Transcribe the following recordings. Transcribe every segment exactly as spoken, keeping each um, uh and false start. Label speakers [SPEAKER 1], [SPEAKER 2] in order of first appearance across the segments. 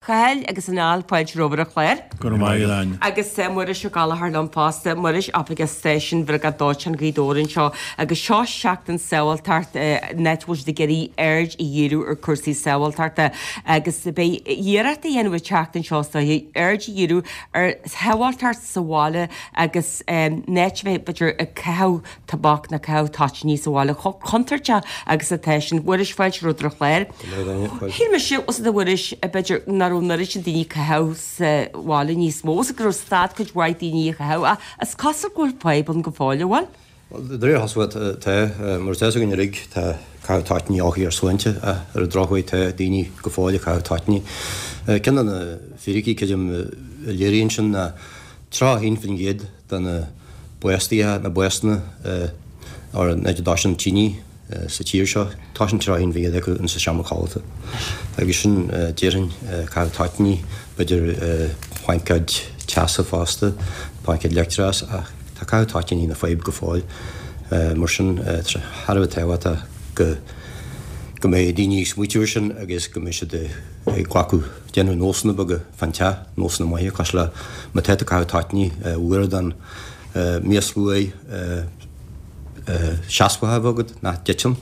[SPEAKER 1] Cathal agus a Niall, fáilte romhaibh ar an chlár.
[SPEAKER 2] Go raibh maith agat, Áine.
[SPEAKER 1] Agus Muiris Ó Gallchóir liom fosta, Muiris, Oifigeach Stáisiún Bhriogáid Dóiteáin Ghaoth Dobhair anseo agus seo seachtain sábháilteacht an áit a bhfuil siad ag iarraidh aird a dhíriú ar cúrsaí sábháilteachta agus beidh iarracht á dhéanamh an tseachtain seo is dóiche aird a dhíriú ar shábháilteacht sa bhaile agus an áit a bheith b'fhéidir ag caitheamh tobac nó caitheamh toitíní sa bhaile chomh contúirteach agus atá sin. Mhuiris, fáilte romhat ar an chlár. Shíl mise, os a Mhuiris, b'fhéidir nach raibh an oiread sin daoine ag caitheamh sa bhaile níos mó, is go raibh stad cuid mhaith daoine ag caitheamh ach is cosúil go bhfuil fadhb ann go fóill, an bhfuil?
[SPEAKER 3] Bhuel, de réir chosúlacht, tá. Mar atá a fhios againn uilig, tá caitheamh toitíní olc ar shláinte ach ar an drochuair tá daoine go fóill ag caitheamh toitíní. Ceann de na fíricí, creidim, a léiríonn sin ná tríocha a haon faoin gcéad de na básuithe, na básanna ar an áit a dtoiseann tine sa tír seo, toiseann tríocha a haon faoin gcéad acu insa seomra codlata. Agus sin, déarfainn, caitheamh toitíní, b'fhéidir plaincéid teasa fosta, plaincéid leictreachais, ach tá caitheamh toitíní ina fadhb go fóill. Mar sin, tá sé thar a bheith tábhachtach go go mbeidh daoine ag smaoitiú air sin agus go mbeidh siad ag glacadh, déanamh nósanna beaga fán teach, nósanna maithe, cosúil le má tá tú ag caitheamh toitíní, uaireadán mias luaidhe seasmhach a bheith agat, nach dtiteann,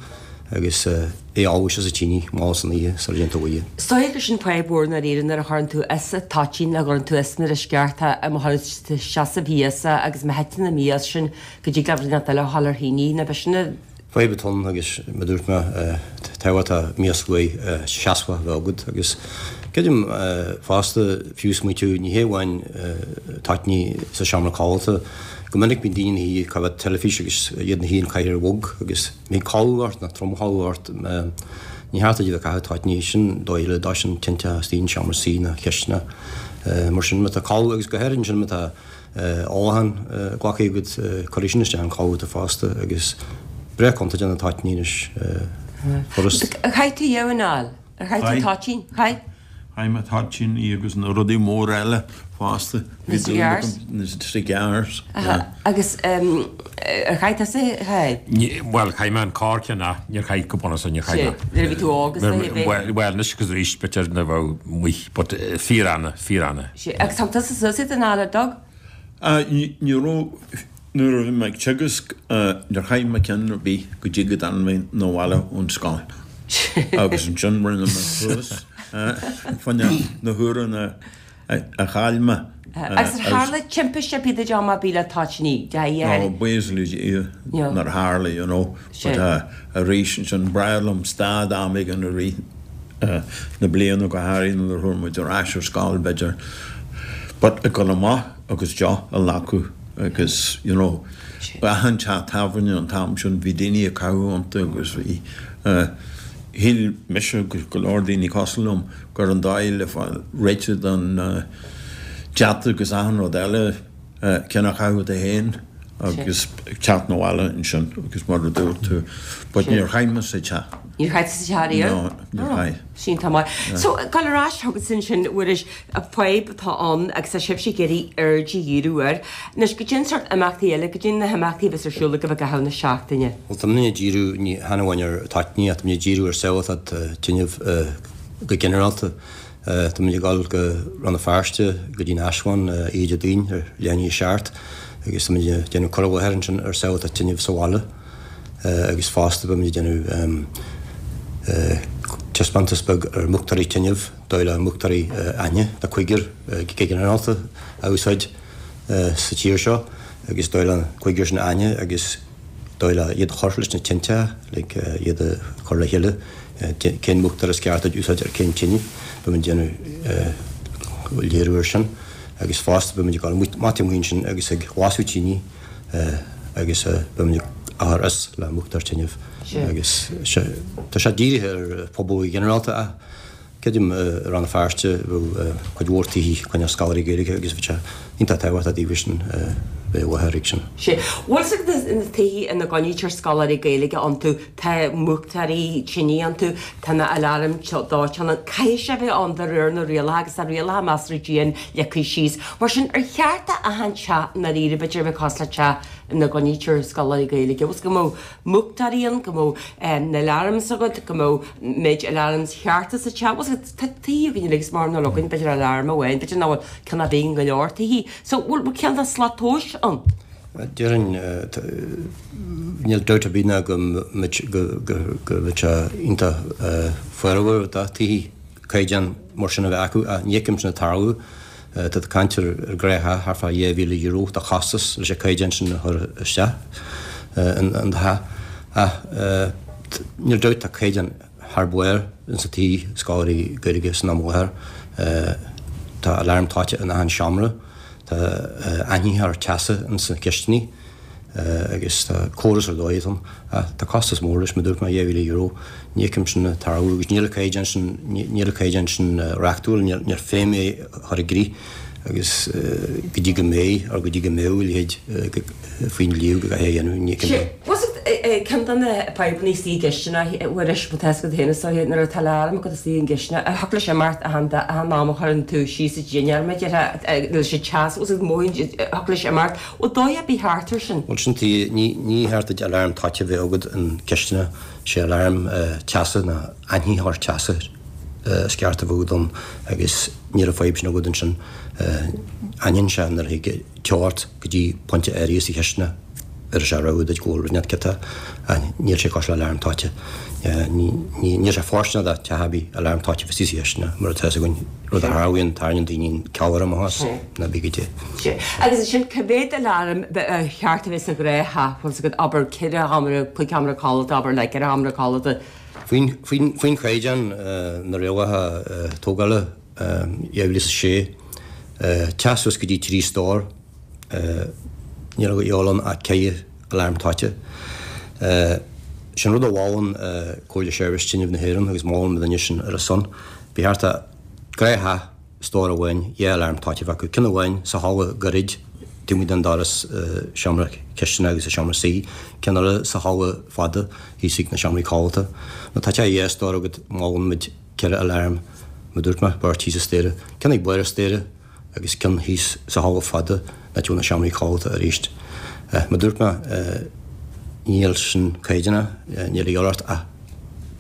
[SPEAKER 3] agus é a fholmhú sa tine mall san oíche sula dtéann tú a luí.
[SPEAKER 1] Is dóigh gur sin fadhb mhór i ndáiríre nuair a chuireann tú as an toitín nó chuireann tú as nuair is ceart é má chuireann tú seasamh thíos é agus má thiteann an mias sin go dtig le rud inteacht eile a dhul ar thine nó b'shin a
[SPEAKER 3] Fadhb atá ann agus mar a dúirt mé tábhachtach mias luaidhe seasmhach a bheith agat agus creidim fosta fiú smaoitiú ní hé amháin toitíní sa seomra codlata, go minic bíonn daoine ina shuí ag caitheamh teilifís agus iad ina shuí in cathaoir bhog agus bíonn codladh ort nó tromchodladh ort ní cheart duit a bheith ag caitheamh toitíní sin dóigh le dtoiseann tinte istigh in seomra suí nó cisteanach mar sin má tá codladh agus go háirithe ansin má tá ólachán glactha agat, cuirfidh sin isteach an codladh duit fosta agus breá contúirteach na toitíní anois furast.
[SPEAKER 1] Ar chaith tú riamh a Niall? Ar chaith tú toitín? Chaith?
[SPEAKER 2] Chaith mé toitíní agus na rudaí móra eile fosta.
[SPEAKER 1] Na cigars?
[SPEAKER 2] Na cigars, yeah.
[SPEAKER 1] Agus ar chaith tusa, a Chathail?
[SPEAKER 4] Bhuel, chaith mé an corrcheann ach níor chaith go bunúsach, níor chaith mé.
[SPEAKER 1] Nuair a bhí tú óg is dóigh, bhí.
[SPEAKER 4] Bhuel, anois agus arís, b'fhéidir nuair a bheadh amuigh, but fíor-annamh, fíor-annamh.
[SPEAKER 1] Sea, agus thug tusa suas iad a Niall, ar dtug?
[SPEAKER 2] Ní raibh, nuair a bhí mé ag teagasc, níor chaith mé ceann ar bith go dtí go dtáinig mé 'na bhaile ón scoil. Agus ansin rinne mé suas fá choinne na huaireanna a chaill mé.
[SPEAKER 1] Agus ar tharla timpiste ar bith duit am ar bith le toitíní?
[SPEAKER 2] No, buíochas le Dia nár tharla, you know. But arís ansin, b'fhearr liom stad am éigin i rith na bliana, go háirithe nuair a chuaigh muid ar ais ar scoil, b'fhéidir. But ag dul amach agus deoch a ghlacadh agus, you know, achan teach tábhairne an t-am sin, bhí daoine ag caitheamh iontu agus bhí, shíl mise agus go leor daoine cosúil liom gur an dóigh le fáil réitithe don debt agus achan rud eile, ceann a chaitheamh duit féin agus teacht 'na bhaile ansin agus mar a dúirt tú, but níor chaith mé sa teach.
[SPEAKER 1] Níor chaith tú sa teach riamh?
[SPEAKER 2] No, níor chaith.
[SPEAKER 1] Sin tá maith. So, gabháil ar ais chugatsa ansin, a Mhuiris, fadhb atá ann agus tá sibhse ag iarraidh aird a dhíriú air. Anois, goidé an sórt imeachtaí eile, goidé na himeachtaí a bheas ar siúl agaibh i gcaitheamh na seachtaine.
[SPEAKER 3] Bhuel, tá muidne ag díriú ní hamháin ar toitíní ach tá muid ag díriú ar sábháilteacht tinneamh go ginearálta. Tá muid ag dul go Rann na Feirste go dtí an Áislann oíche Déardaoin ar leath i ndiaidh a seacht agus tá muid ag déanamh cur i láthair ansin ar sábháilteacht tinneamh sa bhaile agus fosta beidh muid ag déanamh taispeántas beag ar mhúchtóirí tinneamh, dóigh le múchtóirí a aithne, tá cúigear go ginearálta á úsáid sa tír seo agus dóigh le an cúigear sin a aithne agus dóigh le iad a chur leis na tinte, like iad a chur le chéile, cén múchtóir is ceart duit úsáid ar cén tine, beidh muid ag déanamh léiriú air sin agus fosta beidh muid ag dul amach taobh amuigh ansin agus ag lasadh tine agus beidh muid ag cur is le múchtóir tinneamh agus tá sé dírithe ar phobal go ginearálta ach Creidim i Rann na Feirste bheadh cuid mhór tithe coinne scoláirí Gaeilge agus bheadh sé iontach tábhachtach daofa sin bheith i láthair ag sin.
[SPEAKER 1] Sea. Bhfuil fhios agat na tithe ina gcoinnítear scoláirí Gaeilge iontu, tá múchtóirí tine iontu, tá na aláraim dóiteáin ann, caithfidh sé bheith ann de réir na rialacha agus tá rialacha measartha dian leagtha síos. Mar sin, ar cheart d'achan teach i ndáiríre, b'fhéidir a bheith cosúil le teach ina gcoinnítear scoláirí Gaeilge. Bhfuil go mbeadh múchtóirí ann, go mbeadh na alarms agat, go mbeadh méid alarms chearta sa teach. Bhfuil tá tithe againn uilig is mar ná againn b'fhéidir alarm amháin, b'fhéidir nach bhfuil ceann ar bith in go leor tithe. So bhfuil ceann de slat tomhais ann?
[SPEAKER 3] Déarfainn níl dabht ar bith ná go mbeadh sé iontach fabhrach do thithe caighdeán mar sin a bheith acu ach ní fheicim sin ag tarlú. Tá tú ag caint ar ghnáth-theach thart fá dhá mhíle euro de chostas leis an caighdeán sin a chur isteach in do theach. Ach níl dabht tá caighdeán thar barr insa tithe scoláirí Gaeilge san am i láthair. Tá alarm toite in achan seomra. Tá aithnitheoir teasa ins na cistiní agus tá córas ar dóigh ann. Ach tá costas mór leis, mar dúirt mé, dhá mhíle euro. Ní fheicim sin ag tarlú agus níl an caighdeán sin, níl an caighdeán sin reachtúil, níl feidhm é a chur i gcrích agus go dtí go mbeidh, or go dtí go mbeadh a leithéid faoin dlí go gcaithfí é a dhéanamh, ní fheicim é.
[SPEAKER 1] Ceann de na fadhbanna istigh i gcistineach, a Mhuiris, má tá fhios agat féin is dóiche, nuair atá alarm agat istigh i gcistineach, thiocfadh leis imeacht achan achan am a chuireann tú síos sa dinnéar, mar a déarfá, leis an teas, agus mothaíonn, thiocfadh leis imeacht. Bhfuil dóigh ar bith thart air sin?
[SPEAKER 3] Bhuel, sin tuige, ní ní cheart duit alarm toite a bheith agat in cistineach, sé alarm teasa ná aithnitheoir teasa is ceart a bheith agat ann agus níl an fadhb sin agat ansin. Aithníonn sé nuair a thig teo ort go dtí pointe áirithe sa chistineach. Ar sé rabhadh duit go bhfuil rud inteacht ciotach ach níl sé cosúil le alarm toite. Níl sé fóirsteanach do theach ar bith alarm toite a bheith istigh sa chistineach mar atá fhios againn, rud a tharlaíonn, tarraingíonn daoine an ceallra amach as, ná bí go dté.
[SPEAKER 1] Sea. Agus ansin cá mhéad alarm ba cheart a bheith sa ghnáth-theach, bhfuil fhios agat, abair ceithre sheomra, cúig sheomra codlata, abair le ceithre sheomra codlata.
[SPEAKER 3] Faoin, faoin, faoin chaighdeán, na rialacha tógála, dhá mhíle is a sé, teach suas go dtí trí stór, Níl a dhíobháil ann ach ceithre alarm toite. Sin rud a mholann Comhairle Seirbhís Tinrimh na hÉireann agus molann mo dhuine sin ar a son. Ba cheart do ghnáth-theach stór amháin dhá alarm toite a bheith acu, ceann amháin sa halla gairid taobh amuigh den doras seomra cistine agus an seomra suí, ceann eile sa halla fada thíos ag na seomraí codlata. Má tá teach dhá stór agat molann muid ceithre alarm, mar a dúirt mé, beirt thíos an staighre, ceann ag barr an staighre, agus ceann thíos sa halla fada in áit a bhfuil na seomraí codlata arís. Mar dúirt mé, níl sin caighdeánach, níl a dhíobháil ort ach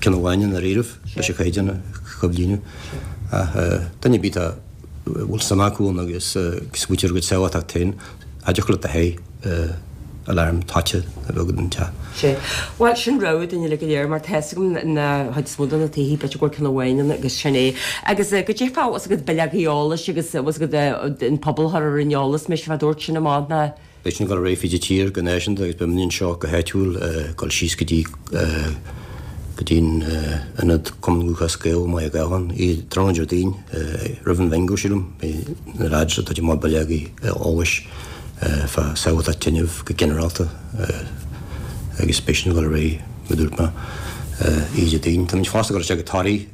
[SPEAKER 3] ceann amháin i ndáiríribh leis an chaighdeán a chomhlíonadh. Ach duine ar bith a bhfuil suim acu ann agus smaoitiú ar a gcuid sábháilteacht féin, cha dtiocfadh leat do sháith alarm toite a bheith agat in teach.
[SPEAKER 1] Sea. Bhuel, sin rabhadh dúinn uilig go léir mar tá fhios agam an chuid is mó de na tithe, b'fhéidir go bhfuil ceann amháin ann agus sin é. Agus goidé fá, bhfuil fhios agat, bileogaí eolais agus bhfuil fhios agat an pobal a chur ar an eolas, mise fá dtabhairt sin amach ná.
[SPEAKER 3] Beidh sin ag dul ar aghaidh fríd an tír go náisiúnta agus beidh muid anseo go háitiúil ag dul síos go dtí go dtí an Ionad Cumann Lúthchleas Gael i mBaile Átha Cliath tráthnóna Déardaoin roimh an bhingo sílim. Beidh na lads ag tabhairt amach bileogaí eolais fá sábháilteacht tinrimh go ginearálta agus beidh sin ag dul ar aghaidh, mar a dúirt mé, oíche Déardaoin. Táimid fosta ag dul isteach go Toraigh,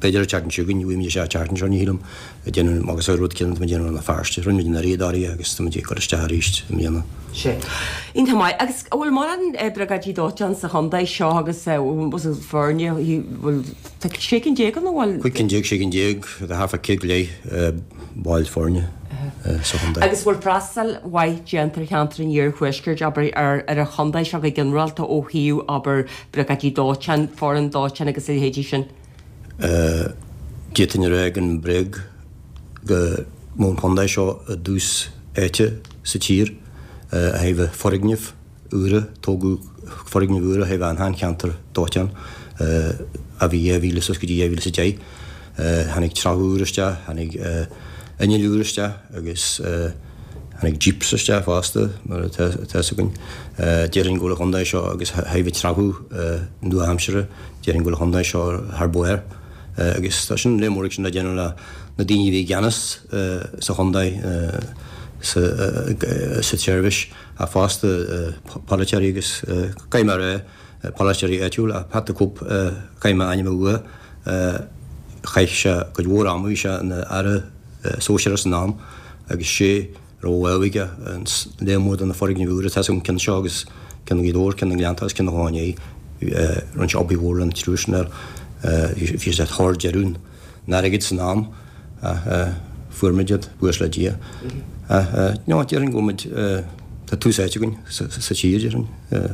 [SPEAKER 3] b'fhéidir an tseachtain seo chugainn, ní bhfaighimid isteach an tseachtain seo, ní shílim, ag déanamh agus an rud céanna atá muid ag déanamh i Rann na Feirste. Rinne muid anuraidh i dToraigh agus táimid ag dul isteach arís i mbliana.
[SPEAKER 1] Sea. Iontach maith. Agus an bhfuil mórán briogáidí dóiteáin sa chontae seo agus foirne, bhfuil, tá sé cinn déag ann, an bhfuil?
[SPEAKER 3] Cúig cinn déag, sé cinn déag, tá thart fá céad go leith baill foirne sa chontae.
[SPEAKER 1] Agus bhfuil freastal mhaith déanta ar cheantar an iarthuaiscirt, abair, ar ar an chontae seo go ginearálta ó thaobh, abair, briogáidí dóiteáin, foireann dóiteáin agus a leithéidí sin?
[SPEAKER 3] D'fhéadfainn a rá gan bréag go mbeadh an chontae seo i dtús áite sa tír ó thaobh foirgnimh úra, tógadh foirgnimh úra ó thaobh an cheantar dóiteáin a bhí dhá mhíle suas go dtí dhá mhíle is a deich. Tháinig trealamh úr isteach, tháinig innill úr isteach agus tháinig jeeps isteach fosta, mar atá fhios againn. Déarfainn go bhfuil an chontae seo agus ó thaobh trealamh nua-aimseartha, déarfainn go bhfuil an chontae seo thar barr. Agus tá sin, léir mór ag sin le déanamh le na daoine a bhí i gceannas sa chontae sa tseirbhís ach fosta polaiteoirí agus caithfidh mé a rá, polaiteoirí áitiúla ach Pat the Cope, caithfidh mé a ainm a lua, chaith sé cuid mhór ama, bhí sé ina aire sóisearach san am agus sé a raibh lámh aige ins léar mór de na foirgnimh úra, tá 'fhios agam ceann seo agus ceann Ghaoth Dobhair, ceann na nGleannta agus ceann an Chlocháin Léith, rinne sé obair mhór lena triúr sin air, bhí sé thar deireadh an airgid san am ach fuair muid iad, buíochas le Dia. Ach no, déarfainn go bhfuil muid, tá tús áite againn sa tír, déarfainn.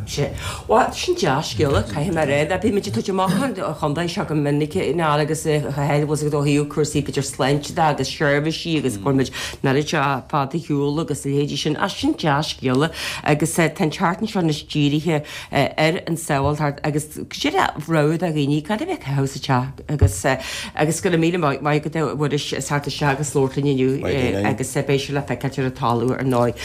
[SPEAKER 1] Sea. Bhuel, sin dea-scéala, caithfidh mé a rá. Bíonn muid ag tabhairt amach an chontae seo go minic anall agus bhfuil a fhios agat ó thaobh cúrsaí b'fhéidir sláinte de agus seirbhísí agus go bhfuil muid an oiread seo fada ar shiúl agus a leithéidí sin. Ach sin dea-scéala agus tá an tseachtain seo anois dírithe ar an tsábháilteacht agus cad é rogha do dhaoine cad a bheith ag caitheamh sa teach agus agus go raibh míle maith agat a Mhuiris as theacht isteach agus labhairt linn inniu agus beidh sé le feiceáilt ar an talamh ar ndóigh.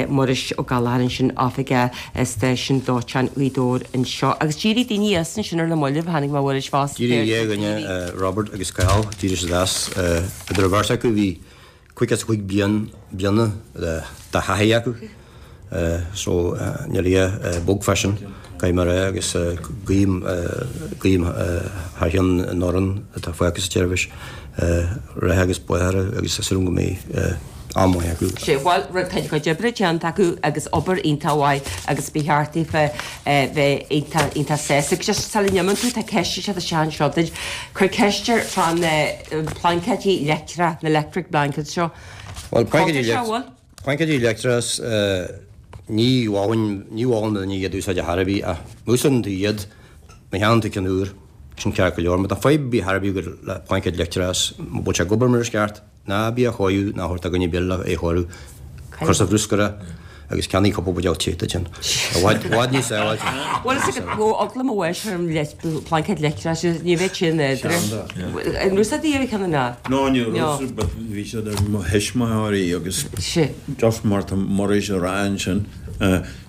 [SPEAKER 1] Muiris Ó Gallchóir ansin oifigeach stáisiún dóiteáin Ghaoth Dobhair anseo agus d'éirigh daoine as ansin ar na mallaibh tháinig mé Mhuiris fosta.
[SPEAKER 3] D'éirigh dhá dhuine, Robert agus Cathal, d'éirigh siad as. Idir an bheirt acu bhí caoga is a cúig bliain bliana de thaithí acu so níl a dhath bog fá sin, caithfidh mé a rá agus guím guím thar cheann an fhoireann atá fágtha sa tseirbhís rath agus beatha orthu agus is dóigh liom go mbeidh am maith acu.
[SPEAKER 1] Sea, bhuel, tá a gcuid oibre déanta acu agus obair iontach mhaith agus ba cheart daofa bheith iontach, iontach sásta. Agus just sula n-imíonn tú, tá ceist ag teacht isteach anseo duit. Cuir ceist air fá na plaincéidí leictreacha, na electric blankets seo.
[SPEAKER 3] Bhuel, plaincéidí leictreacha, plaincéidí leictreacha, ní mholfainn, ní mholfainn do dhuine iad a úsáid ar chor ar bith ach má úsáideann tú iad, má cheannaíonn tú ceann úr, sin ceart go leor. Má tá fadhb ar bith ar chor ar bith agat le plaincéad leictreachais, mura bhfuil sé ag obair mar is ceart, Ná bí á chóiriú ná a thabhairt do dhuine ar bith le é a chóiriú. Cuir sa bhruscar é agus ceannaigh cúpla buidéal te duit féin. I bhfad, i bhfad níos sábháilte.
[SPEAKER 1] Bhuel, is ag ó eagla mo bháis ar an plaincéad leictreachais, ní bheadh sé in éadra. An raibh siad iarraidh cheana ná?
[SPEAKER 2] No, ní raibh, but bhí siad ar mo thuismitheoirí agus just mar tá Muiris a rá ansin,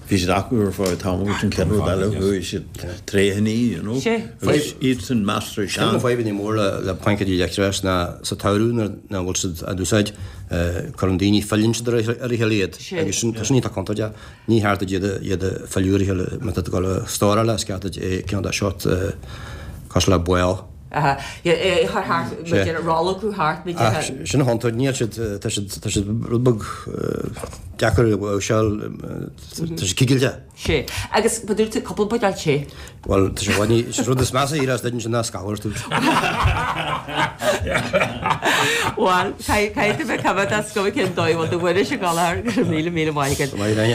[SPEAKER 2] Bhí siad acu ar feadh tamaill agus an chéad rud eile chuaigh siad tré thine, you know. Agus iad san measartha
[SPEAKER 3] sean. Ceann de na fadhbanna mór le plaincéidí leictreachais ná sa tsamhradh nuair nach bhfuil siad á n-úsáid, cuireann daoine, filleann siad ar a chéile iad agus sin, tá sin iontach contúirteach. Ní cheart duit iad a, iad a fhilleadh ar a chéile má tá tú ag dul a stóráil é, is ceart duit é cineál de short cosúil le ball.
[SPEAKER 1] Aha, é a chur thart, b'fhéidir a rolladh thart, b'fhéidir.
[SPEAKER 3] Ach sin an chontúirt, níl siad, tá siad, tá siad rud beag deacair a mháirseáil, tá siad cigilte.
[SPEAKER 1] Sea, agus ba dúirt tú cúpla buidéal tae.
[SPEAKER 3] Bhuel, tá sé i bhfad ní, is rud is measa a éireos duit ansin ná scamhadh ort.
[SPEAKER 1] Bhuel, caithfidh tú bheith coimhéadach, is cuma cén dóigh a bhfuil do Mhuiris ag dul air, go raibh míle míle maith agat.
[SPEAKER 3] Go maith, Áine.